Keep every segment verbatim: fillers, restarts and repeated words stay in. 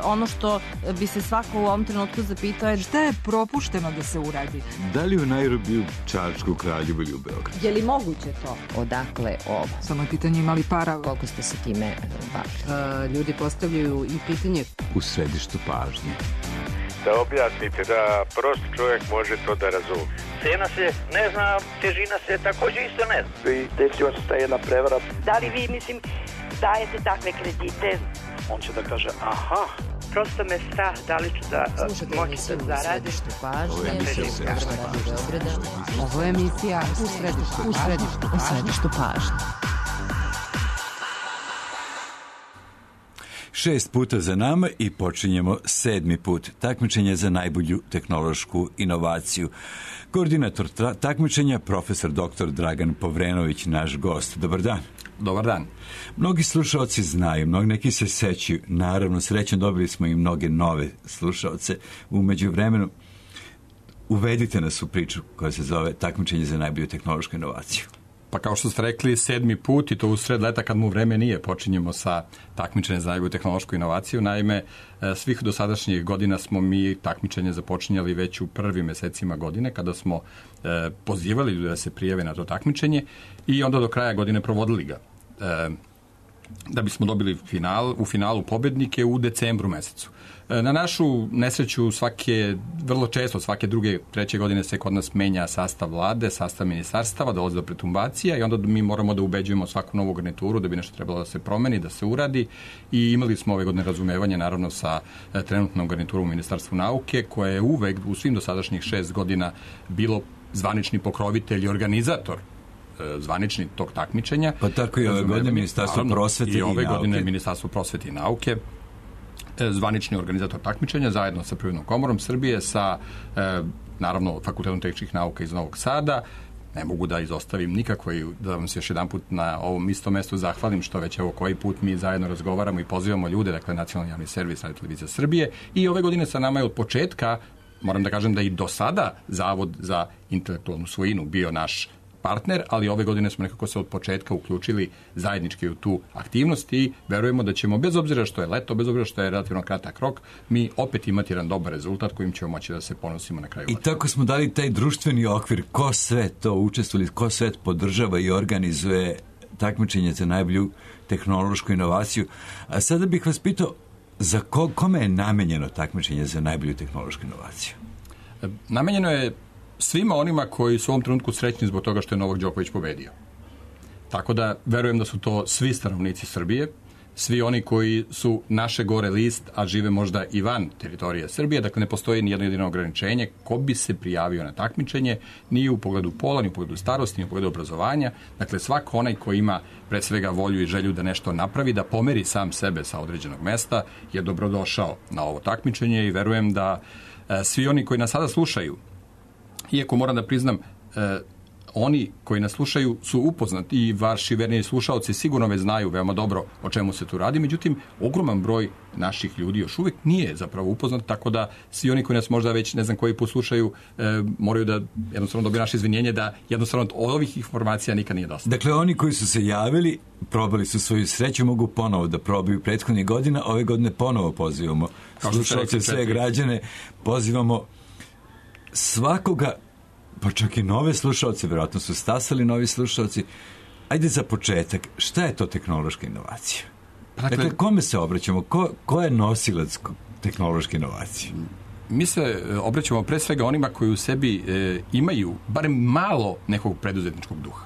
ono što bi se svako u ovom trenutku zapitao je šta je propušteno da se uradi? Da li u Nairobiju, Čačku, Kraljevu ili u Beogradu? Je li moguće to? Odakle ovo? Samo je pitanje imali para. Koliko ste se time bavili? Uh, ljudi postavljaju i pitanje u središtu pažnje. Da objasnite, da prost čovjek može to da razumije. Cena se ne zna, težina se također isto ne zna. I desila se ta jedna prevara. Da li vi, mislim, dajete takve kredite? On će da kaže, aha. Prosto me strah, da li ću da moći da zaradim. Ovo je emisija u središtu pažnje. Ovo je emisija u središtu pažnje. U središtu pažnje. Šest puta za nama i počinjemo sedmi put. Takmičenje za najbolju tehnološku inovaciju. Koordinator takmičenja, profesor doktor Dragan Povrenović, naš gost. Dobar dan. Dobar dan. Mnogi slušaoci znaju, mnogi neki se sećaju. Naravno, srećom dobili smo i mnoge nove slušaoce. U međuvremenu uvedite nas u priču koja se zove takmičenje za najbolju tehnološku inovaciju. Pa kao što ste rekli, sedmi put i to u sred leta kad mu vreme nije, počinjemo sa takmičenjem za najbolju tehnološku inovaciju. Naime, svih dosadašnjih godina smo mi takmičenje započinjali već u prvim mesecima godine kada smo e, pozivali ljude da se prijave na to takmičenje i onda do kraja godine provodili ga. E, da bismo dobili final, u finalu pobednike u decembru mesecu. Na našu nesreću svake, vrlo često svake druge, treće godine se kod nas menja sastav vlade, sastav ministarstava, dolazi do pretumbacija i onda mi moramo da ubeđujemo svaku novu garnituru da bi nešto trebalo da se promeni, da se uradi i imali smo ove godine razumevanje naravno sa trenutnom garniturom u Ministarstvu nauke koje je uvek u svim dosadašnjih šest godina bilo zvanični pokrovitelj i organizator zvanični tog takmičenja. Pa tako i ove godine Ministarstvo prosvete i, i ove nauke. godine Ministarstvo prosvete i nauke zvanični organizator takmičenja zajedno sa Privrednom komorom Srbije, sa e, naravno Fakultetom tehničkih nauka iz Novog Sada. Ne mogu da izostavim nikako i da vam se još jedan put na ovom istom mestu zahvalim što već evo koji put mi zajedno razgovaramo i pozivamo ljude, dakle Nacionalni javni servis Radio Televizija Srbije i ove godine sa nama je od početka, moram da kažem da i do sada Zavod za intelektualnu svojinu bio naš partner, ali ove godine smo nekako se od početka uključili zajednički u tu aktivnost i verujemo da ćemo, bez obzira što je leto, bez obzira što je relativno kratak rok, mi opet imati jedan dobar rezultat kojim ćemo moći da se ponosimo na kraju. I tako smo dali taj društveni okvir, ko sve to učestvuje, ko sve podržava i organizuje takmičenje za najbolju tehnološku inovaciju. A sada bih vas pitao, za ko, kome je namenjeno takmičenje za najbolju tehnološku inovaciju? Namenjeno je svima onima koji su u ovom trenutku srećni zbog toga što je Novak Đoković pobedio. Tako da verujem da su to svi stanovnici Srbije, svi oni koji su naše gore list, a žive možda i van teritorije Srbije, dakle ne postoji ni jedno jedino ograničenje ko bi se prijavio na takmičenje, ni u pogledu pola, ni u pogledu starosti, ni u pogledu obrazovanja. Dakle, svako onaj ko ima pre svega volju i želju da nešto napravi, da pomeri sam sebe sa određenog mesta, je dobrodošao na ovo takmičenje i verujem da e, svi oni koji nas sada slušaju, iako moram da priznam, e, oni koji nas slušaju su upoznati i vaši verni slušaoci sigurno već znaju veoma dobro o čemu se tu radi, međutim, ogroman broj naših ljudi još uvijek nije zapravo upoznat, tako da svi oni koji nas možda već ne znam koji put slušaju e, moraju da jednostavno dobiju naše izvinjenje da jednostavno od ovih informacija nikad nije dosta. Dakle, oni koji su se javili, probali su svoju sreću, mogu ponovo da probaju prethodnih godina, ove godine ponovo pozivamo slušaoce, sve građane, pozivamo svakoga, pa čak i nove slušalce, vjerojatno su stasali novi slušalci. Ajde za početak, šta je to tehnološka inovacija? Dakle, dakle kome se obraćamo? Ko, ko je nosilac tehnološke inovacije? Mi se obraćamo pre svega onima koji u sebi e, imaju barem malo nekog preduzetničkog duha.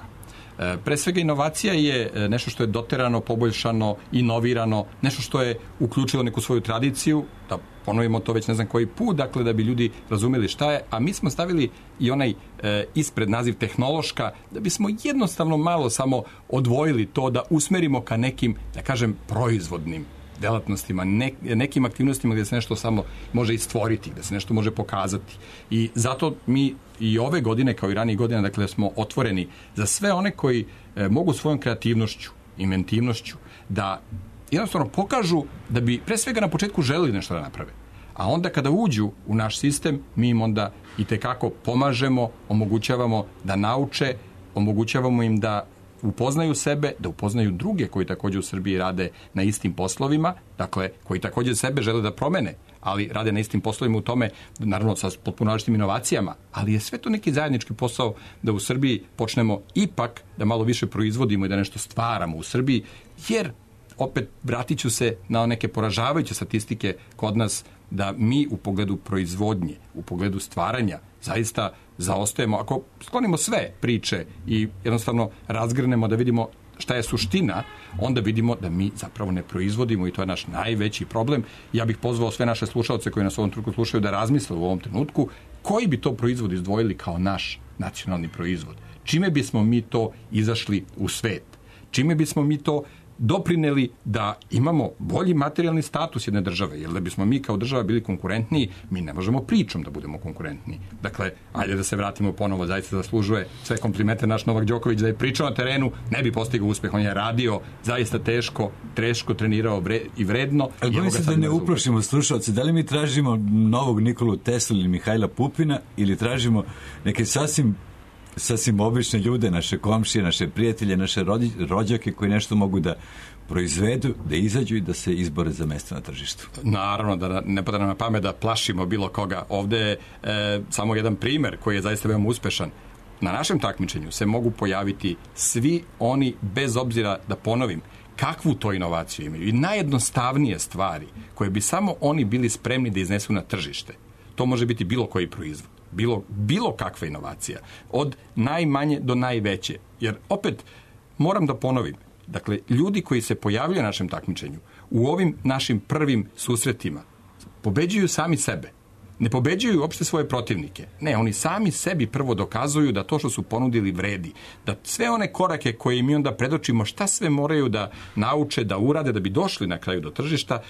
E, pre svega inovacija je nešto što je doterano, poboljšano, inovirano, nešto što je uključilo neku svoju tradiciju, da ponovimo to već ne znam koji put, dakle da bi ljudi razumeli šta je, a mi smo stavili i onaj e, ispred naziv tehnološka, da bismo jednostavno malo samo odvojili to, da usmerimo ka nekim, da kažem, proizvodnim delatnostima, ne, nekim aktivnostima gdje se nešto samo može istvoriti, gdje se nešto može pokazati. I zato mi i ove godine, kao i ranije godine, dakle, smo otvoreni za sve one koji e, mogu svojom kreativnošću, inventivnošću, da jednostavno pokažu da bi pre svega na početku želeli nešto da naprave. A onda kada uđu u naš sistem, mi im onda i tekako pomažemo, omogućavamo da nauče, omogućavamo im da upoznaju sebe, da upoznaju druge koji također u Srbiji rade na istim poslovima, dakle, koji također sebe žele da promene, ali rade na istim poslovima u tome, naravno sa potpuno različitim inovacijama, ali je sve to neki zajednički posao da u Srbiji počnemo ipak da malo više proizvodimo i da nešto stvaramo u Srbiji, jer opet vratit ću se na neke poražavajuće statistike kod nas da mi u pogledu proizvodnje, u pogledu stvaranja zaista zaostajemo. Ako sklonimo sve priče i jednostavno razgrnemo da vidimo šta je suština, onda vidimo da mi zapravo ne proizvodimo i to je naš najveći problem. Ja bih pozvao sve naše slušalce koji nas u ovom trenutku slušaju da razmisle u ovom trenutku koji bi to proizvod izdvojili kao naš nacionalni proizvod. Čime bismo mi to izašli u svet? Čime bismo mi to doprineli da imamo bolji materijalni status jedne države, jer da bismo mi kao država bili konkurentniji, mi ne možemo pričom da budemo konkurentniji. Dakle, ajde da se vratimo ponovo, zaista zaslužuje sve komplimente naš Novak Đoković, da je pričao na terenu, ne bi postigao uspeh, on je radio zaista teško, teško trenirao vre, i vredno. Ali bojim se da ne uplašimo slušalce, da li mi tražimo novog Nikolu Teslu ili Mihajla Pupina ili tražimo neke sasvim sasvim obične ljude, naše komšije, naše prijatelje, naše rođake koji nešto mogu da proizvedu, da izađu i da se izbore za mesto na tržištu. Naravno, da ne pada nam na pamet da plašimo bilo koga. Ovde je e, samo jedan primer koji je zaista veoma uspešan. Na našem takmičenju se mogu pojaviti svi oni, bez obzira da ponovim, kakvu to inovaciju imaju i najjednostavnije stvari koje bi samo oni bili spremni da iznesu na tržište. To može biti bilo koji proizvod. Bilo, bilo kakva inovacija, od najmanje do najveće. Jer opet moram da ponovim, dakle, ljudi koji se pojavljaju na našem takmičenju u ovim našim prvim susretima pobeđuju sami sebe. Ne pobeđuju uopšte svoje protivnike. Ne, oni sami sebi prvo dokazuju da to što su ponudili vredi. Da sve one korake koje mi onda predočimo, šta sve moraju da nauče, da urade, da bi došli na kraju do tržišta,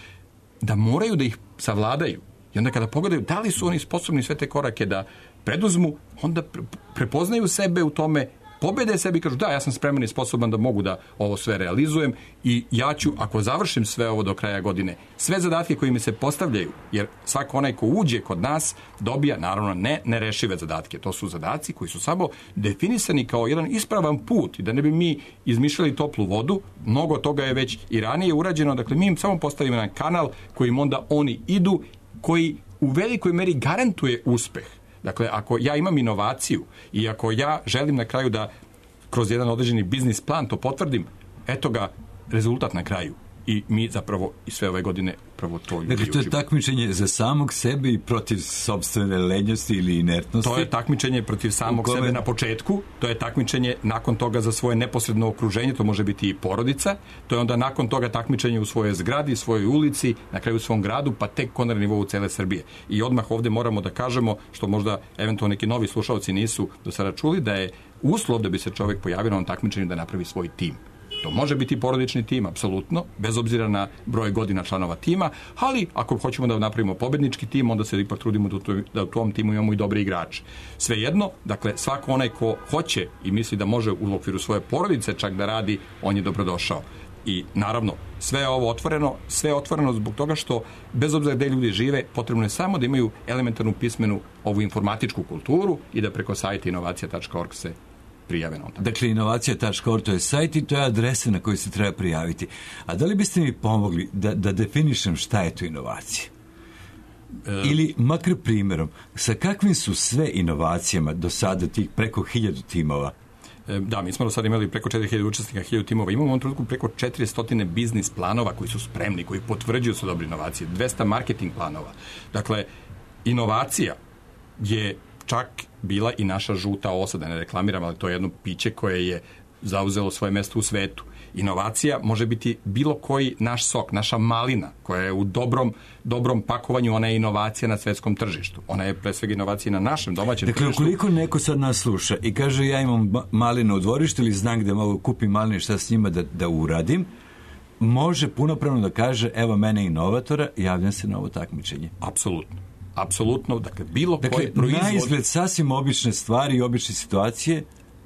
da moraju da ih savladaju. I onda kada pogledaju da li su oni sposobni sve te korake da preduzmu, onda prepoznaju sebe u tome, pobede sebi i kažu da, ja sam spreman i sposoban da mogu da ovo sve realizujem i ja ću, ako završim sve ovo do kraja godine, sve zadatke koji mi se postavljaju, jer svako onaj ko uđe kod nas dobija, naravno, ne nerešive zadatke. To su zadaci koji su samo definisani kao jedan ispravan put i da ne bi mi izmišljali toplu vodu, mnogo toga je već i ranije urađeno, dakle mi im samo postavimo jedan kanal kojim onda oni idu, koji u velikoj meri garantuje uspeh. Dakle, ako ja imam inovaciju i ako ja želim na kraju da kroz jedan određeni biznis plan to potvrdim, eto ga rezultat na kraju. I mi zapravo i sve ove godine pravo to ljudi Dakle, to je takmičenje za samog sebe i protiv sopstvene lenjosti ili inertnosti? To je takmičenje protiv samog kome... sebe na početku, to je takmičenje nakon toga za svoje neposredno okruženje, to može biti i porodica, to je onda nakon toga takmičenje u svojoj zgradi, svojoj ulici, na kraju u svom gradu, pa tek na nivou cele Srbije. I odmah ovde moramo da kažemo, što možda eventualno neki novi slušalci nisu do sada čuli, da je uslov da bi se čovjek pojavio na ovom takmičenju da napravi svoj tim. To može biti porodični tim, apsolutno, bez obzira na broj godina članova tima, ali ako hoćemo da napravimo pobednički tim, onda se ipak trudimo da u tom timu imamo i dobre igrače. Svejedno, dakle, svako onaj ko hoće i misli da može u okviru svoje porodice čak da radi, on je dobrodošao. I naravno, sve je ovo otvoreno, sve je otvoreno zbog toga što, bez obzira gde ljudi žive, potrebno je samo da imaju elementarnu pismenu ovu informatičku kulturu i da preko sajta inovacija tačka org se prijave na on. Dakle, inovacija tačka org to je sajt i to je adresa na koju se treba prijaviti. A da li biste mi pomogli da, da definišem šta je to inovacija? E... Ili, makar primjerom, sa kakvim su sve inovacijama do sada tih preko hiljadu timova? E, da, mi smo do sada imali preko četiri hiljade učesnika, hiljadu timova. Imamo u ovom trenutku preko četiristo biznis planova koji su spremni, koji potvrđuju su dobre inovacije, dvesta marketing planova. Dakle, inovacija je čak bila i naša žuta osa, da ne reklamiram, ali to je jedno piće koje je zauzelo svoje mesto u svetu. Inovacija može biti bilo koji naš sok, naša malina, koja je u dobrom, dobrom pakovanju, ona je inovacija na svetskom tržištu. Ona je pre svega inovacija na našem domaćem dakle, tržištu. Dakle, ukoliko neko sad nas sluša i kaže ja imam malinu u dvorištu ili znam gde mogu kupim maline, šta s njima da, da uradim, može punopravno da kaže evo mene inovatora, javljam se na ovo takmičenje. Apsolutno. Apsolutno, dakle, bilo dakle, koji proizvod... Dakle, na izgled sasvim obične stvari i obične situacije.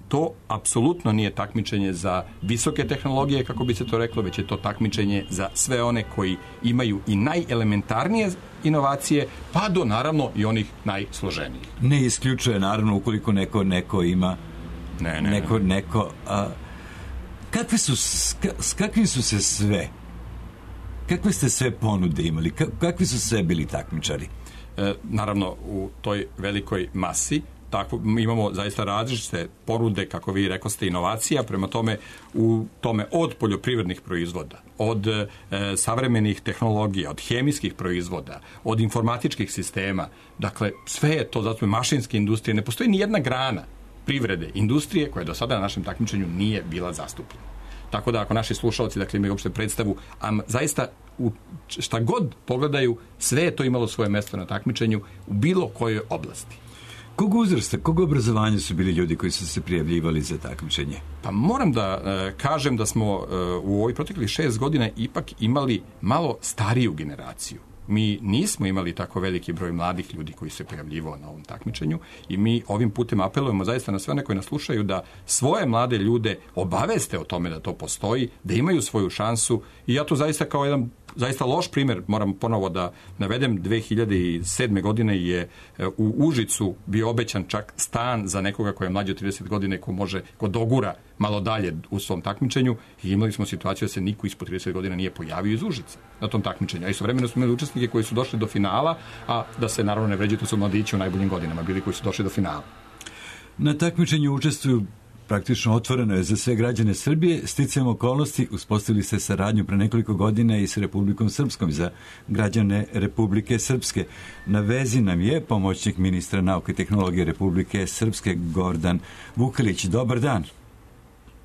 To apsolutno nije takmičenje za visoke tehnologije, kako bi se to reklo, već je to takmičenje za sve one koji imaju i najelementarnije inovacije, pa do, naravno, i onih najsloženijih. Ne isključuje, naravno, ukoliko neko, neko ima... Ne, ne, neko, ne. neko a, kakve su, s, s kakvim su se sve, kakve ste sve ponude imali, kakvi su sve bili takmičari? E, naravno, u toj velikoj masi tako, imamo zaista različite ponude, kako vi rekoste, inovacija, prema tome u tome od poljoprivrednih proizvoda, od e, savremenih tehnologija, od hemijskih proizvoda, od informatičkih sistema, dakle sve je to, zato je mašinske industrije, ne postoji ni jedna grana privrede, industrije koja do sada na našem takmičenju nije bila zastupljena. Tako da ako naši slušalci, dakle, imaju uopšte predstavu, a zaista u šta god pogledaju, sve je to imalo svoje mesto na takmičenju u bilo kojoj oblasti. Kog uzrasta, kog obrazovanja su bili ljudi koji su se prijavljivali za takmičenje? Pa moram da e, kažem da smo e, u ovoj proteklih šest godina ipak imali malo stariju generaciju. Mi nismo imali tako veliki broj mladih ljudi koji se prijavljivao na ovom takmičenju i mi ovim putem apelujemo zaista na sve one koji nas slušaju da svoje mlade ljude obaveste o tome da to postoji, da imaju svoju šansu i ja to zaista kao jedan zaista loš primjer, moram ponovo da navedem, dve hiljade sedme. godine je u Užicu bio obećan čak stan za nekoga koji je mlađi od trideset godine, ko može, ko dogura malo dalje u svom takmičenju i imali smo situaciju da se niko ispod trideset godina nije pojavio iz Užica na tom takmičenju. A istovremeno smo imali učesnike koji su došli do finala, a da se naravno ne vređaju, to su mladići u najboljim godinama bili koji su došli do finala. Na takmičenju učestvuju praktično otvoreno je za sve građane Srbije. Sticajem okolnosti uspostavili ste saradnju pre nekoliko godina i sa Republikom Srpskom za građane Republike Srpske. Na vezi nam je pomoćnik ministra nauke i tehnologije Republike Srpske Gordan Vukelić. Dobar dan.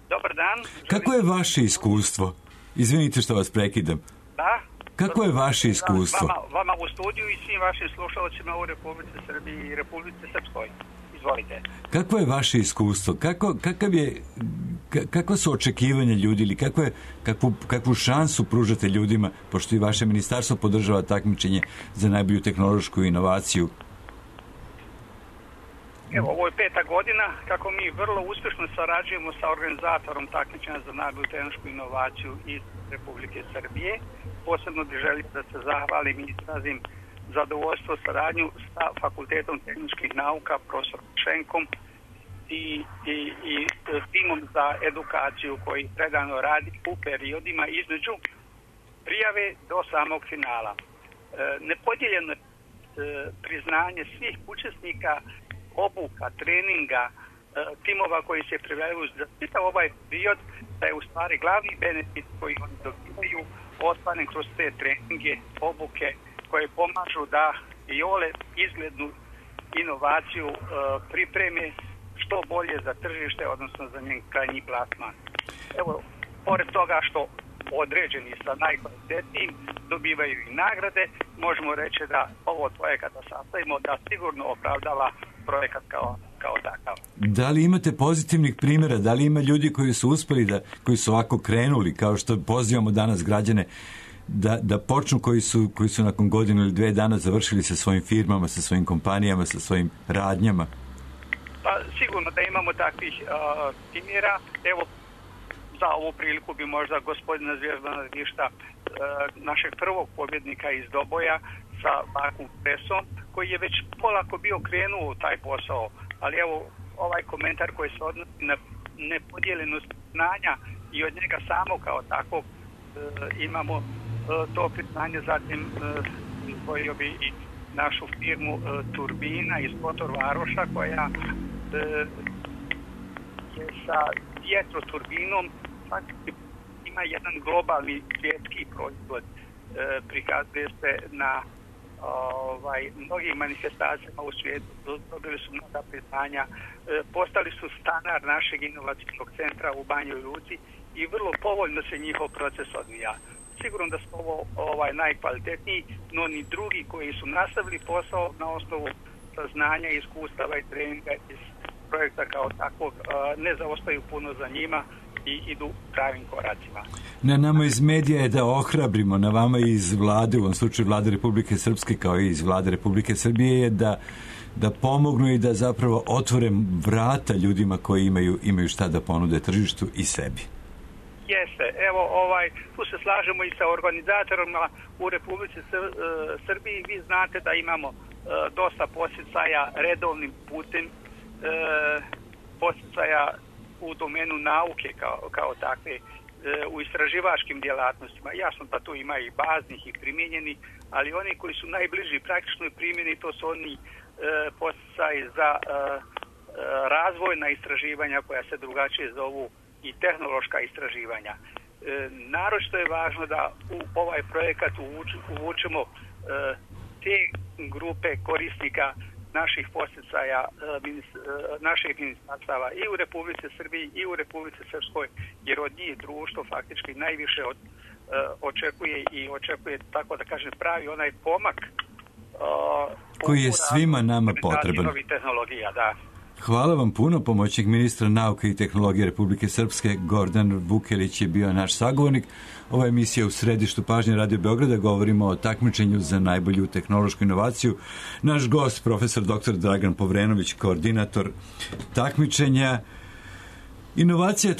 Dobar dan. Kako je vaše iskustvo? Izvinite što vas prekidam. Da? Kako je vaše iskustvo? Vama, vama u studiju i svim vašim slušalcima u Republici Srbiji i Republici Srpskoj. Izvolite. Kako je vaše iskustvo? Kako, kakav je, kakva su očekivanja ljudi ili kakvu, kakvu, kakvu šansu pružate ljudima, pošto i vaše ministarstvo podržava takmičenje za najbolju tehnološku inovaciju? Evo, ovo je peta godina kako mi vrlo uspješno sarađujemo sa organizatorom takmičenja za najbolju tehnološku inovaciju iz Republike Srbije. Posebno bih želio da se zahvalim i izrazim zadovoljstvo saradnju sa Fakultetom tehničkih nauka, profesorom Šenkom i, i, i timom za edukaciju koji predano radi u periodima između prijave do samog finala. E, nepodijeljeno je e, priznanje svih učesnika obuka, treninga, e, timova koji se prijavljuju za čitav ovaj period, da je u stvari glavni benefit koji oni dobivaju ostvaren kroz te treninge, obuke, koje pomažu da i ole izglednu inovaciju e, pripreme što bolje za tržište, odnosno za njen krajnji plasman. Evo, pored toga što određeni sa najkvalitetnijim dobivaju i nagrade, možemo reći da ovo od projekata sastavimo da sigurno opravdava projekat kao, kao takav. Da li imate pozitivnih primjera? Da li ima ljudi koji su uspeli, da, koji su ovako krenuli, kao što pozivamo danas građane, Da, da počnu koji su, koji su nakon godinu ili dve dana završili sa svojim firmama, sa svojim kompanijama, sa svojim radnjama? Pa sigurno da imamo takvih uh, primjera. Evo, za ovu priliku bi možda gospodina Zvjezdana Višta, uh, našeg prvog pobjednika iz Doboja sa vakum presom, koji je već polako bio krenuo u taj posao. Ali evo, ovaj komentar koji se odnosi na nepodijeljenost znanja i od njega samo kao takvog uh, imamo to priznanje, zatim izdvojio bi i našu firmu Turbina iz Kotor Varoša koja je sa vjetroturbinom ima jedan globalni svjetski proizvod, prikazuje se na ovaj, mnogim manifestacijama u svijetu, dobili su mnoga priznanja, postali su standard našeg inovacijskog centra u Banjoj Luci i vrlo povoljno se njihov proces odvija. Sigurno da su ovo ovaj, najkvalitetniji, no ni drugi koji su nastavili posao na osnovu znanja, iskustava i treninga iz projekta kao takvog ne zaostaju puno za njima i idu pravim koracima. Na nama iz medija je da ohrabrimo, na vama iz vlade, u ovom slučaju vlade Republike Srpske kao i iz vlade Republike Srbije je da, da pomognu i da zapravo otvore vrata ljudima koji imaju, imaju šta da ponude tržištu i sebi. Jeste, evo ovaj, tu se slažemo i sa organizatorima u Republici Srbiji. Vi znate da imamo e, dosta posjecaja redovnim putem, e, posjecaja u domenu nauke kao, kao takve, u istraživačkim djelatnostima. Jasno da tu ima i baznih i primijenjenih, ali oni koji su najbliži praktičnoj primjeni, to su oni e, poticaji za e, razvojna istraživanja koja se drugačije zovu i tehnološka istraživanja. E, naročito je važno da u ovaj projekat uvuč, uvučemo e, te grupe korisnika naših poticaja, e, minis, e, naših ministarstava i u Republici Srbiji i u Republici Srpskoj, jer od njih društvo faktički najviše od, e, očekuje i očekuje, tako da kažem, pravi onaj pomak e, koji je svima nama potreban. Novih tehnologija, da. Hvala vam puno, pomoćnik ministra nauke i tehnologije Republike Srpske Gordan Vukelić je bio naš sagovornik. Ova emisija u središtu pažnje Radio Beograda, govorimo o takmičenju za najbolju tehnološku inovaciju. Naš gost, profesor doktor Dragan Povrenović, koordinator takmičenja. Inovacija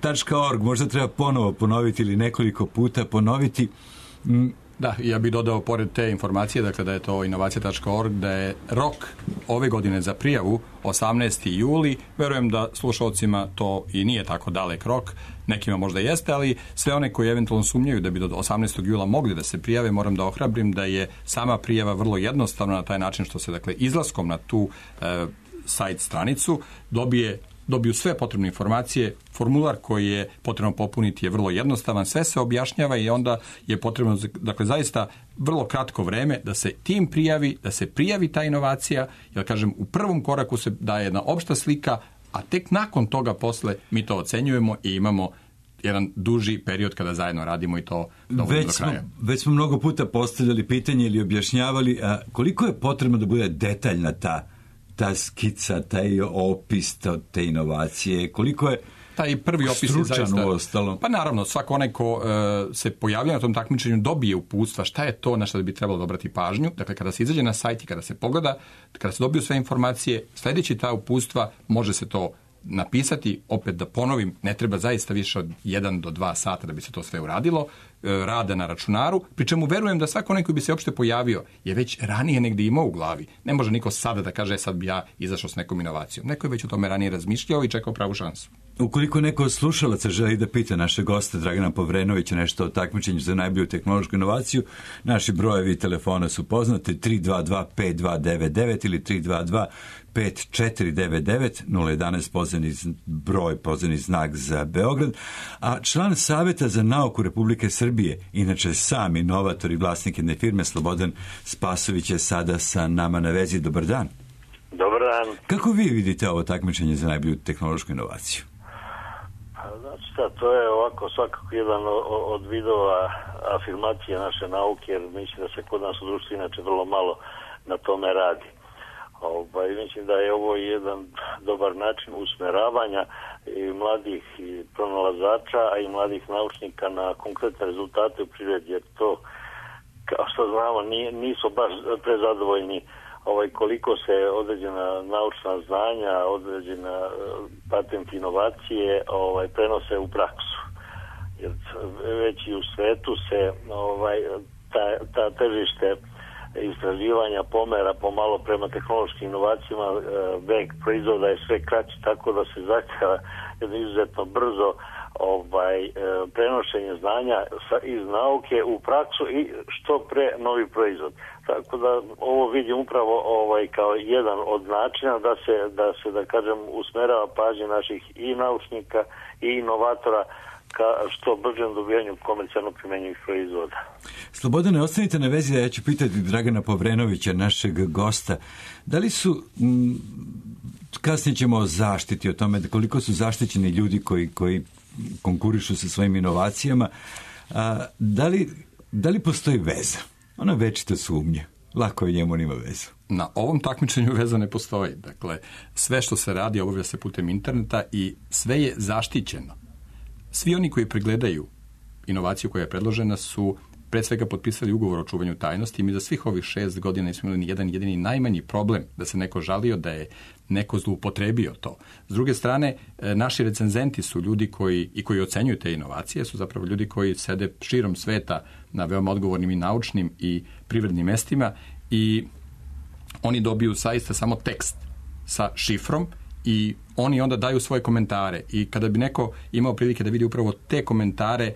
tačka org, možda treba ponovo ponoviti ili nekoliko puta ponoviti. Da, ja bih dodao pored te informacije, dakle da je to inovacija tačka org, da je rok ove godine za prijavu osamnaesti juli. Verujem da slušalcima to i nije tako dalek rok, nekima možda jeste, ali sve one koji eventualno sumnjaju da bi do osamnaestog jula mogli da se prijave, moram da ohrabrim da je sama prijava vrlo jednostavna na taj način što se, dakle, izlaskom na tu e, sajt stranicu dobije dobiju sve potrebne informacije. Formular koji je potrebno popuniti je vrlo jednostavan, sve se objašnjava i onda je potrebno, dakle, zaista vrlo kratko vreme da se tim prijavi, da se prijavi ta inovacija, jer kažem, u prvom koraku se daje jedna opšta slika, a tek nakon toga posle mi to ocenjujemo i imamo jedan duži period kada zajedno radimo i to dovoljno do kraja. Smo, već smo mnogo puta postavljali pitanje ili objašnjavali, a koliko je potrebno da bude detaljna ta ta skica, taj opis te inovacije, koliko je taj prvi opis je zaista, ostalo. Pa naravno, svako onaj ko uh, se pojavlja na tom takmičenju dobije uputstva šta je to na što bi trebalo obrati pažnju. Dakle, kada se izađe na sajt i kada se pogleda, kada se dobiju sve informacije, sljedeći ta uputstva može se to napisati, opet da ponovim, ne treba zaista više od jedan do dva sata da bi se to sve uradilo, rada na računaru, pri čemu verujem da svako onaj koji bi se uopšte pojavio je već ranije negdje imao u glavi. Ne može niko sada da kaže sad bi ja izašao s nekom inovacijom. Neko je već o tome ranije razmišljao i čekao pravu šansu. Ukoliko neko od slušalaca želi da pita naše goste Dragana Povrenovića nešto o takmičenju za najbolju tehnološku inovaciju, naši brojevi telefona su poznati tri dva dva pet dva devet devet ili tri dva dva pet četiri devet devet, nula jedanaest pozivni broj, pozivni znak za Beograd, a član Saveta za nauku Republike Srbije, inače sam inovator i vlasnik jedne firme, Slobodan Spasović je sada sa nama na vezi. Dobar dan. Dobar dan. Kako vi vidite ovo takmičenje za najbolju tehnološku inovaciju? Znači šta, to je ovako svakako jedan od vidova afirmacije naše nauke, jer mislim da se kod nas u društvu inače vrlo malo na tome radi. Ovaj, mislim da je ovo jedan dobar način usmeravanja i mladih i pronalazača, a i mladih naučnika na konkretne rezultate u prirodi, jer to, kao što znamo, nisu baš prezadovoljni ovaj, koliko se određena naučna znanja, određena patent inovacije ovaj, prenose u praksu. Jer već i u svetu se ovaj, ta, ta tržište istraživanja pomera pomalo prema tehnološkim inovacijama, vek proizvoda je sve kraći, tako da se zahtjeva jedno izuzetno brzo ovaj, prenošenje znanja iz nauke u praksu i što pre novi proizvod. Tako da ovo vidim upravo ovaj, kao jedan od načina da se, da se, da kažem, usmerava pažnje naših i naučnika i inovatora ka što bržem dobijanju komercijalno primenjivih proizvoda. Slobodane, ostanite na vezi, ja ću pitati Dragana Povrenovića, našeg gosta. Da li su, m, kasnije ćemo o zaštiti, o tome koliko su zaštićeni ljudi koji, koji konkurišu sa svojim inovacijama, a, da, li, da li postoji veza? Ona večita sumnja. Lako je njemu, nima vezu. Na ovom takmičenju veza ne postoji. Dakle, sve što se radi obavlja se putem interneta i sve je zaštićeno. Svi oni koji pregledaju inovaciju koja je predložena su pre svega potpisali ugovor o čuvanju tajnosti i mi za svih ovih šest godina nismo imali ni jedan jedini najmanji problem da se neko žalio da je neko zloupotrebio to. S druge strane, naši recenzenti su ljudi koji i koji ocenjuju te inovacije, su zapravo ljudi koji sede širom sveta na veoma odgovornim i naučnim i privrednim mestima i oni dobiju zaista samo tekst sa šifrom i oni onda daju svoje komentare i kada bi neko imao prilike da vidi upravo te komentare, e,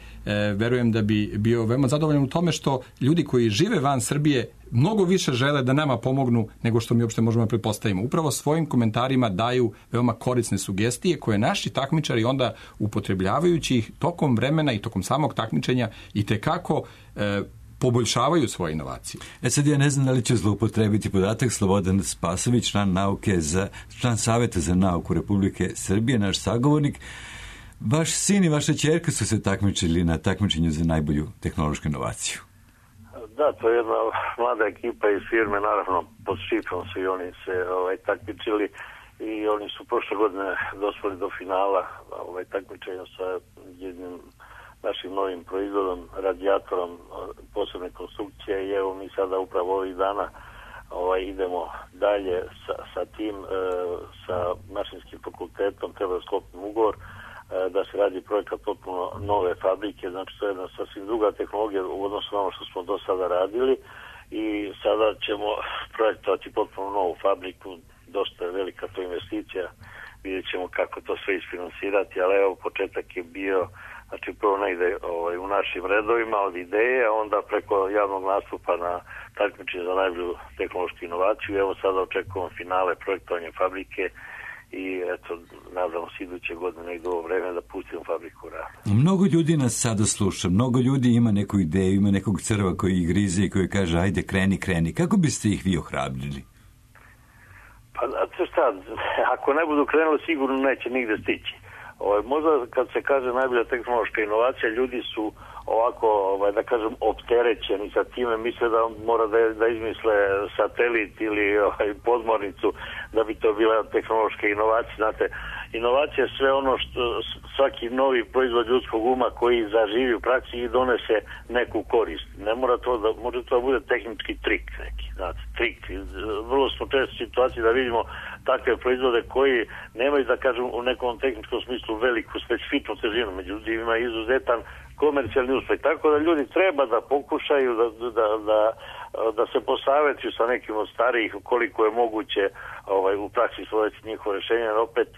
verujem da bi bio veoma zadovoljan u tome što ljudi koji žive van Srbije mnogo više žele da nama pomognu nego što mi uopšte možemo da pretpostavimo. Upravo svojim komentarima daju veoma korisne sugestije koje naši takmičari onda upotrebljavajući ih tokom vremena i tokom samog takmičenja i tekako e, poboljšavaju svoje inovacije. E sad ja ne znam da li će zloupotrebiti podatak Slobodan Spasović, član nauke za, član Saveta za nauku Republike Srbije, naš sagovornik. Vaš sin i vaša ćerka su se takmičili na takmičenju za najbolju tehnološku inovaciju. Da, to je jedna mlada ekipa iz firme, naravno pod šifrom su i oni se ovaj, takmičili i oni su prošle godine dospeli do finala ovaj, takmičenja sa jednim našim novim proizvodom, radijatorom posebne konstrukcije i evo mi sada upravo ovih dana ovaj, idemo dalje sa, sa tim, e, sa mašinskim fakultetom, treba sklopiti ugovor e, da se radi projekat potpuno nove fabrike, znači to je jedna sasvim druga tehnologija u odnosu na ono što smo do sada radili i sada ćemo projektovati potpuno novu fabriku, dosta je velika to investicija, vidjet ćemo kako to sve isfinansirati, ali evo početak je bio. Znači prvo negde ovaj, u našim redovima od ideje, a onda preko javnog nastupa na takmičenju za najbolju tehnološku inovaciju. Evo sada očekujemo finale projektovanja fabrike i eto, nadamo se iduće godine negde u ovo vreme da pustimo fabriku u rad. Mnogo ljudi nas sada sluša, mnogo ljudi ima neku ideju, ima nekog crva koji ih grize i koji kaže ajde kreni, kreni. Kako biste ih vi ohrabrili? Pa znate šta, ako ne budu krenuli sigurno neće nigde stići. Ovaj, možda kad se kaže najbolja tehnološka inovacija, ljudi su ovako, ovaj, da kažem, opterećeni sa time, misle da mora da, da izmisle satelit ili ovaj, podmornicu da bi to bila tehnološka inovacija. Znate, inovacija je sve ono što svaki novi proizvod ljudskog uma koji zaživi u praksi i donese neku korist. Ne mora to da, može to da bude tehnički trik neki, znate, trik. Vrlo smo često u situaciji da vidimo takve proizvode koji nemaju, da kažem, u nekom tehničkom smislu veliku specifičnu težinu, međutim ima izuzetan komercijalni uspeh. Tako da ljudi treba da pokušaju da, da, da, da se posavetuju sa nekim od starijih koliko je moguće ovaj, u praksi svojeti njihovo rješenje, jer opet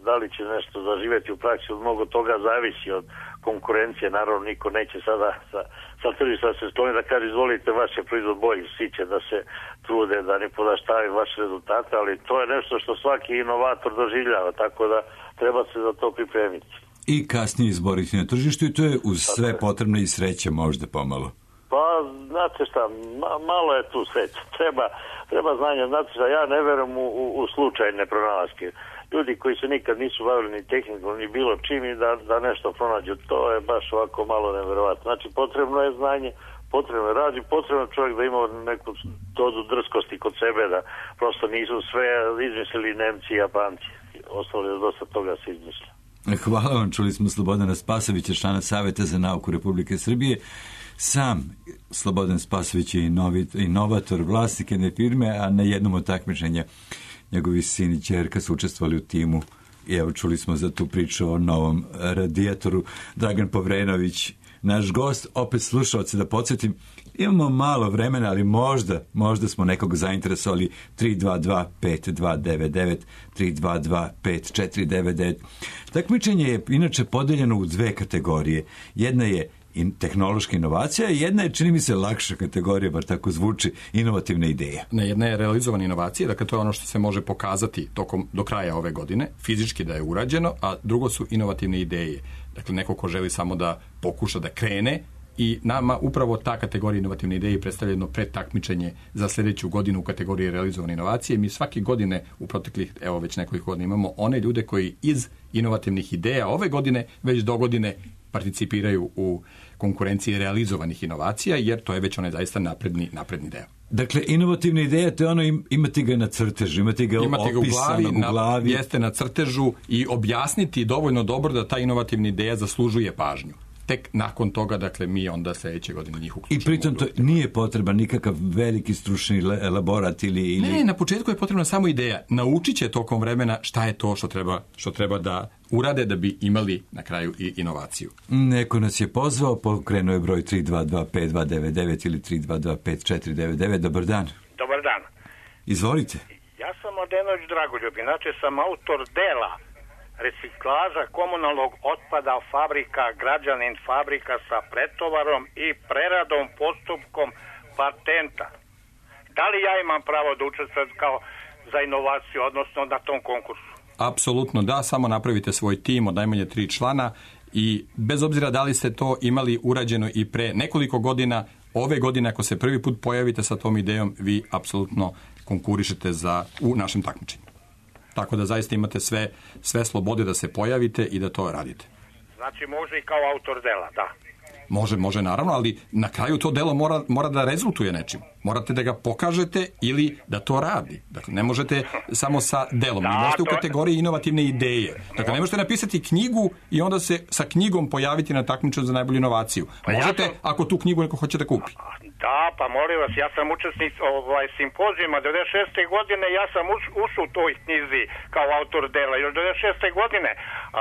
da li će nešto zaživjeti u praksi, od mnogo toga zavisi od konkurencije. Naravno niko neće sada sa, sa tržišta se skloni da kaže izvolite vaš je proizvod bolji, svi će da se trude da ne podaštavaju vaše rezultate, ali to je nešto što svaki inovator doživljava, tako da treba se za to pripremiti. I kasnije izboriti na tržištu i to je uz sve potrebno i sreće možda pomalo. Pa, znate šta, ma, malo je tu sreće. Treba, treba znanje. Znate šta, ja ne verujem u, u, u slučajne pronalaske. Ljudi koji se nikad nisu bavili ni tehnikom, ni bilo čim i da, da nešto pronađu, to je baš ovako malo neverovatno. Znači, potrebno je znanje, potrebno je rad i potrebno čovjek da ima neku dozu drskosti kod sebe, da prosto nisu sve izmislili Nemci i Japanci. Ostalo je dosta toga se izmislili. Hvala vam, čuli smo Slobodana Spasovića, člana Saveta za nauku Republike Srbije. Sam Slobodan Spasović je inovator, vlasnik jedne firme, a na jednom od takmičenja njegovi sin i ćerka su učestvovali u timu. I evo čuli smo za tu priču o novom radijatoru. Dragan Povrenović, naš gost, opet slušaoce da podsjetim, imamo malo vremena, ali možda, možda smo nekog zainteresovali. Tri dva dva pet dva devet devet, tri dva dva pet četiri devet devet. Takmičenje je inače podeljeno u dve kategorije. Jedna je in, tehnološka inovacija, jedna je, čini mi se, lakša kategorija, bar tako zvuči, inovativna ideja. Ne, jedna je realizovana inovacija, dakle to je ono što se može pokazati tokom, do kraja ove godine, fizički da je urađeno, a drugo su inovativne ideje. Dakle, neko ko želi samo da pokuša da krene, i nama upravo ta kategorija inovativne ideje predstavlja jedno predtakmičenje za sljedeću godinu u kategoriji realizovane inovacije. Mi svake godine u proteklih, evo već nekoliko godina imamo one ljude koji iz inovativnih ideja ove godine već do godine participiraju u konkurenciji realizovanih inovacija, jer to je već onaj zaista napredni, napredni deo. Dakle, inovativna ideja, to je ono, imati ga na crtežu, imati ga imati opisano u glavi. Na, jeste na crtežu i objasniti dovoljno dobro da ta inovativna ideja zaslužuje pažnju. Tek nakon toga, dakle, mi onda sljedeće godine njih uključimo. I pritom to nije potreban nikakav veliki stručni elaborat ili, ili... Ne, na početku je potrebna samo ideja. Naučit će tokom vremena šta je to što treba, što treba da urade da bi imali na kraju i inovaciju. Neko nas je pozvao, pokrenuo je broj tri dva dva pet dva devet devet ili tri dva dva pet četiri devet devet. Dobar dan. Dobar dan. Izvolite. Ja sam Mladenović Dragoljub. Inače sam autor dela reciklaža komunalnog otpada fabrika, građanin fabrika sa pretovarom i preradom postupkom patenta. Da li ja imam pravo da učestvujem kao za inovaciju, odnosno na tom konkursu? Apsolutno da, samo napravite svoj tim od najmanje tri člana i bez obzira da li ste to imali urađeno i pre nekoliko godina, ove godine ako se prvi put pojavite sa tom idejom, vi apsolutno konkurišete za, u našem takmičenju. Tako da zaista imate sve, sve slobode da se pojavite i da to radite. Znači može i kao autor dela, da. Može, može naravno, ali na kraju to delo mora, mora da rezultuje nečim. Morate da ga pokažete ili da to radi. Dakle, ne možete samo sa delom. Da, možete u kategoriji inovativne ideje. Dakle, ne možete napisati knjigu i onda se sa knjigom pojaviti na takmičenju za najbolju inovaciju. Možete, ja sam... ako tu knjigu neko hoće da kupi. Da, pa molim vas, ja sam učesnik ovaj, simpozijuma devedeset šeste godine, ja sam ušao u toj knjizi kao autor dela, još devedeset šeste godine,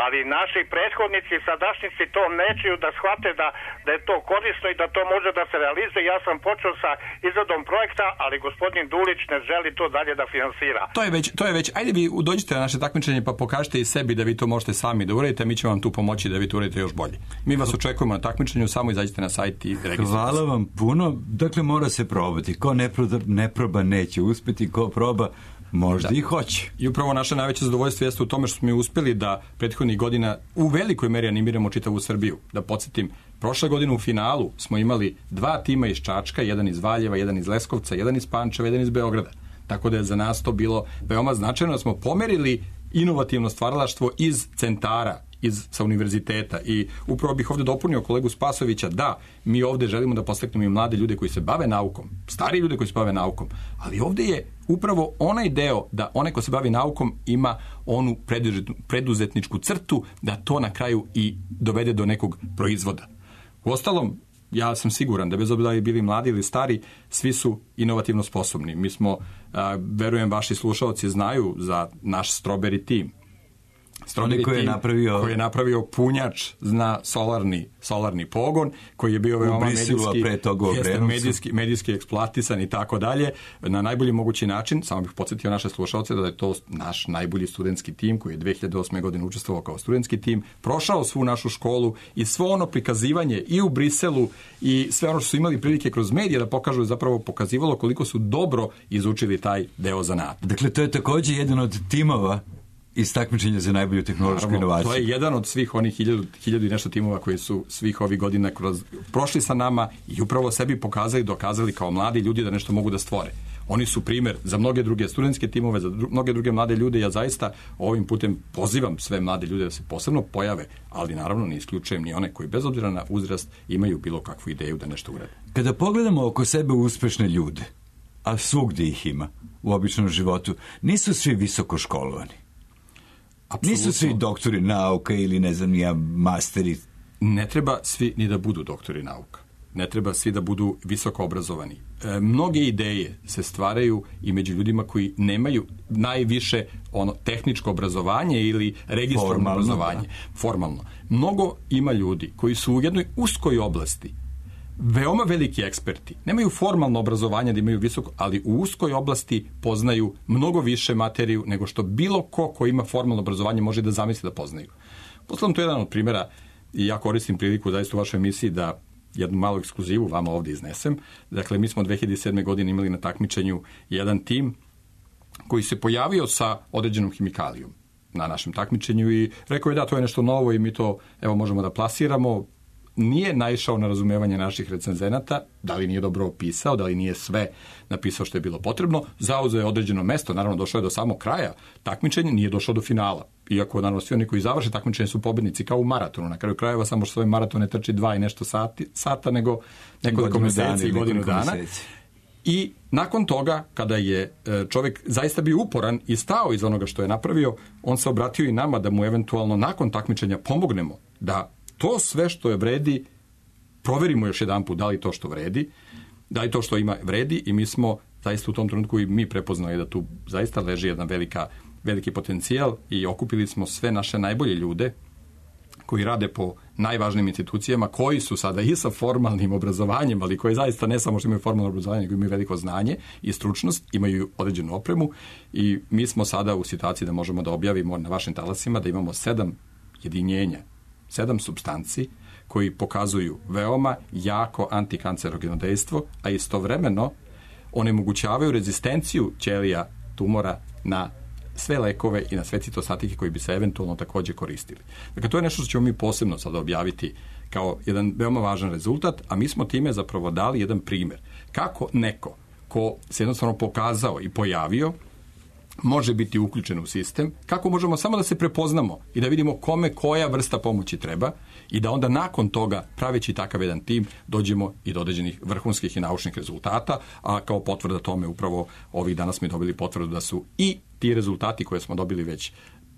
ali naši prethodnici, sadašnjici to nećeju da shvate da, da je to korisno i da to može da se realizuje. Ja sam počeo sa izradom projekta, ali gospodin Dulić ne želi to dalje da finansira. To je već, to je već, ajde vi dođite na naše takmičenje pa pokažite i sebi da vi to možete sami da uradite, mi ćemo vam tu pomoći da vi to uradite još bolje. Mi vas očekujemo na takmičenju, samo izađite na sajt i registrujte. Hvala vam puno. Dakle, mora se probati. Ko ne proba, ne proba neće uspjeti, ko proba možda da. I hoće. I upravo naše najveće zadovoljstvo jeste u tome što smo mi uspjeli da prethodnih godina u velikoj meri animiramo čitavu Srbiju. Da podsjetim, prošle godine u finalu smo imali dva tima iz Čačka, jedan iz Valjeva, jedan iz Leskovca, jedan iz Pančeva, jedan iz Beograda. Tako da je za nas to bilo veoma značajno da smo pomerili inovativno stvaralaštvo iz centara, iz, sa univerziteta i upravo bih ovdje dopunio kolegu Spasovića da mi ovdje želimo da postaknemo i mlade ljude koji se bave naukom, stari ljude koji se bave naukom, ali ovdje je upravo onaj deo da onaj ko se bavi naukom ima onu preduzetničku crtu da to na kraju i dovede do nekog proizvoda. Uostalom, ja sam siguran da bez obzira da li bili mladi ili stari, svi su inovativno sposobni. Mi smo, a, verujem, vaši slušalci znaju za naš Strawberry Team. Strawberry koji je napravio koji je napravio punjač na solarni solarni pogon koji je bio veoma medijski, pre toga medijski medijski eksploatisan i tako dalje na najbolji mogući način. Samo bih podsjetio naše slušaoce da je to naš najbolji studentski tim koji je dve hiljade osme. godine učestvovao kao studentski tim, prošao svu našu školu i svo ono prikazivanje i u Briselu i sve ono što su imali prilike kroz medije da pokažu, zapravo pokazivalo koliko su dobro izučili taj deo zanata. Dakle, to je također jedan od timova iz takmičenja za najbolju tehnološku Naravno, inovaciju. To je jedan od svih onih hiljadu, hiljadu i nešto timova koji su svih ovih godina kroz, prošli sa nama i upravo sebi pokazali, dokazali kao mladi ljudi da nešto mogu da stvore. Oni su primjer za mnoge druge studentske timove, za dru, mnoge druge mlade ljude. Ja zaista ovim putem pozivam sve mlade ljude da se posebno pojave, ali naravno ne isključujem ni one koji bez obzira na uzrast imaju bilo kakvu ideju da nešto urade. Kada pogledamo oko sebe uspešne ljude, a svugdje ih ima u običnom životu, nisu svi visoko školovani. Apsolutno. Nisu svi doktori nauka ili ne znam ja masteri. Ne treba svi ni da budu doktori nauka. Ne treba svi da budu visoko obrazovani. E, mnoge ideje se stvaraju i među ljudima koji nemaju najviše ono tehničko obrazovanje ili registrovano obrazovanje. Da. Formalno. Mnogo ima ljudi koji su u jednoj uskoj oblasti veoma veliki eksperti. Nemaju formalno obrazovanje da imaju visoko, ali u uskoj oblasti poznaju mnogo više materiju nego što bilo ko ko ima formalno obrazovanje može da zamisli da poznaju. Posledam to jedan od primjera i ja koristim priliku zaista u vašoj emisiji da jednu malu ekskluzivu vama ovdje iznesem. Dakle, mi smo dve hiljade sedme. godine imali na takmičenju jedan tim koji se pojavio sa određenom hemikalijom na našem takmičenju i rekao je da to je nešto novo i mi to evo možemo da plasiramo. Nije naišao na razumevanje naših recenzenata, da li nije dobro opisao, da li nije sve napisao što je bilo potrebno, zauzeo je određeno mesto, naravno došao je do samog kraja takmičenja, nije došao do finala. Iako, naravno, svi oni koji završe takmičenje su pobednici kao u maratonu. Na kraju krajeva samo što svoj maraton ne trči dva i nešto sati, sata, nego nekoliko meseci i godinu dana. Meseci. I nakon toga, kada je čovjek zaista bio uporan i stao iz onoga što je napravio, on se obratio i nama da mu eventualno nakon takmičenja pomognemo da to sve što je vredi, proverimo još jedan put da li to što vredi, da li to što ima vredi i mi smo zaista u tom trenutku i mi prepoznali da tu zaista leži jedan velika, veliki potencijal i okupili smo sve naše najbolje ljude koji rade po najvažnijim institucijama, koji su sada i sa formalnim obrazovanjem, ali koji zaista ne samo što imaju formalno obrazovanje, nego imaju veliko znanje i stručnost, imaju određenu opremu i mi smo sada u situaciji da možemo da objavimo na vašim talasima da imamo sedam jedinjenja, sedam supstanci koji pokazuju veoma jako antikancerogeno dejstvo, a istovremeno onemogućavaju rezistenciju ćelija tumora na sve lekove i na sve citostatike koji bi se eventualno takođe koristili. Dakle, to je nešto što ćemo mi posebno sada objaviti kao jedan veoma važan rezultat, a mi smo time zapravo dali jedan primer. Kako neko ko se jednostavno pokazao i pojavio može biti uključen u sistem, kako možemo samo da se prepoznamo i da vidimo kome koja vrsta pomoći treba i da onda nakon toga, praveći takav jedan tim, dođemo i do određenih vrhunskih i naučnih rezultata, a kao potvrda tome upravo ovih dana smo dobili potvrdu da su i ti rezultati koje smo dobili već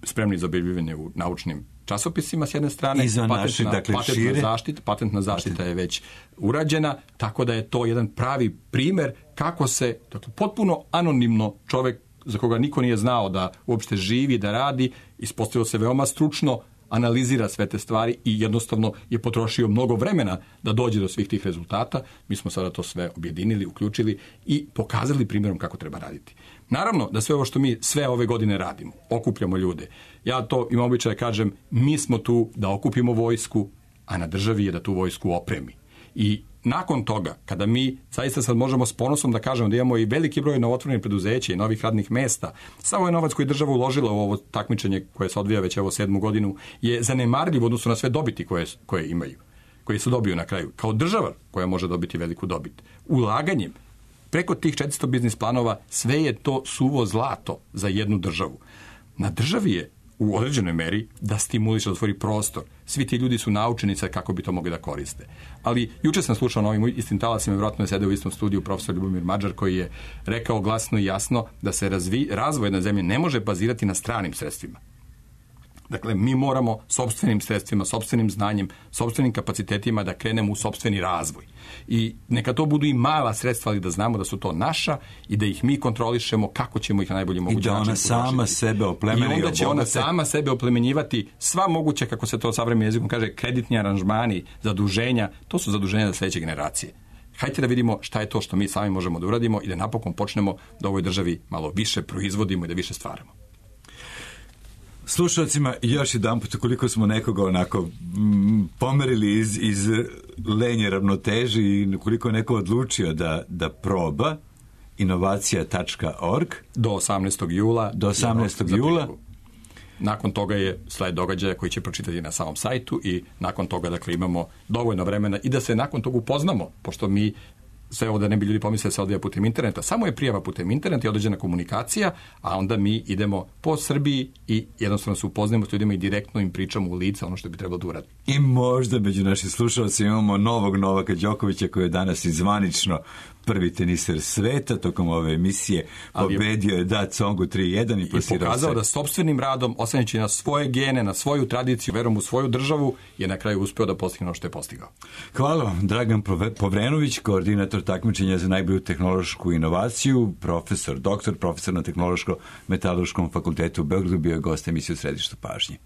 spremni za objavljivanje u naučnim časopisima s jedne strane, i za naše, patentna, dakle, patentna šire. zaštita, patentna zaštita je već urađena, tako da je to jedan pravi primer kako se, dakle, potpuno anonimno čovek za koga niko nije znao da uopšte živi, da radi, ispostavilo se veoma stručno, analizira sve te stvari i jednostavno je potrošio mnogo vremena da dođe do svih tih rezultata. Mi smo sada to sve objedinili, uključili i pokazali primjerom kako treba raditi. Naravno da sve ovo što mi sve ove godine radimo, okupljamo ljude. Ja to imam običaj da kažem, mi smo tu da okupimo vojsku, a na državi je da tu vojsku opremi. I nakon toga, kada mi zaista sad možemo s ponosom da kažemo da imamo i veliki broj novotvorenih preduzeća i novih radnih mesta, samo ovaj novac koji je država uložila u ovo takmičenje koje se odvija već evo sedmu godinu je zanemarljiv u odnosu na sve dobiti koje, koje imaju, koje se dobiju na kraju. Kao država koja može dobiti veliku dobit. Ulaganjem preko tih četiristo biznis planova sve je to suvo zlato za jednu državu. Na državi je u određenoj meri da stimuliše, da otvori prostor. Svi ti ljudi su naučenice kako bi to mogli da koriste. Ali juče sam slušao na ovim istim talasima, vjerojatno je sedeo u istom studiju profesor Ljubomir Mađar koji je rekao glasno i jasno da se razvi, razvoj jedne zemlje ne može bazirati na stranim sredstvima. Dakle, mi moramo sopstvenim sredstvima, sopstvenim znanjem, sopstvenim kapacitetima da krenemo u sopstveni razvoj. I neka to budu i mala sredstva, ali da znamo da su to naša i da ih mi kontrolišemo kako ćemo ih na najbolji mogući način. I da ona sama sebe oplemeni. I onda će ona sama sebe oplemenjivati sva moguća, kako se to savremenim jezikom kaže, kreditni aranžmani, zaduženja. To su zaduženja za sledeće generacije. Hajde da vidimo šta je to što mi sami možemo da uradimo i da napokon počnemo da u ovoj državi malo više proizvodimo i da više stvaramo. Slušalcima, još jedan put, koliko smo nekoga onako m, pomerili iz, iz lenje ravnoteži i koliko je neko odlučio da, da proba inovacija tačka org do osamnaestog jula do osamnaestog jula. Nakon toga je sled događaja koji će pročitati na samom sajtu i nakon toga, dakle, imamo dovoljno vremena i da se nakon toga upoznamo, pošto mi sve ovo da ne bi ljudi pomislili se odvija putem interneta. Samo je prijava putem interneta i određena komunikacija, a onda mi idemo po Srbiji i jednostavno se upoznajemo s ljudima i direktno im pričamo u lice ono što bi trebalo da uradi. I možda među našim slušalcima imamo novog Novaka Đokovića koji je danas izvanično prvi teniser sveta tokom ove emisije. Pobedio je da Tsongu tri jedan i, i pokazao se da sopstvenim radom, oslanjajući na svoje gene, na svoju tradiciju, verom u svoju državu, je na kraju uspeo da postigne ono što je postigao. Hvala vam, Dragan Povrenović, koordinator takmičenja za najbolju tehnološku inovaciju, profesor, doktor, profesor na Tehnološko-metodološkom fakultetu u Beogradu, bio je gost emisije u središtu pažnje.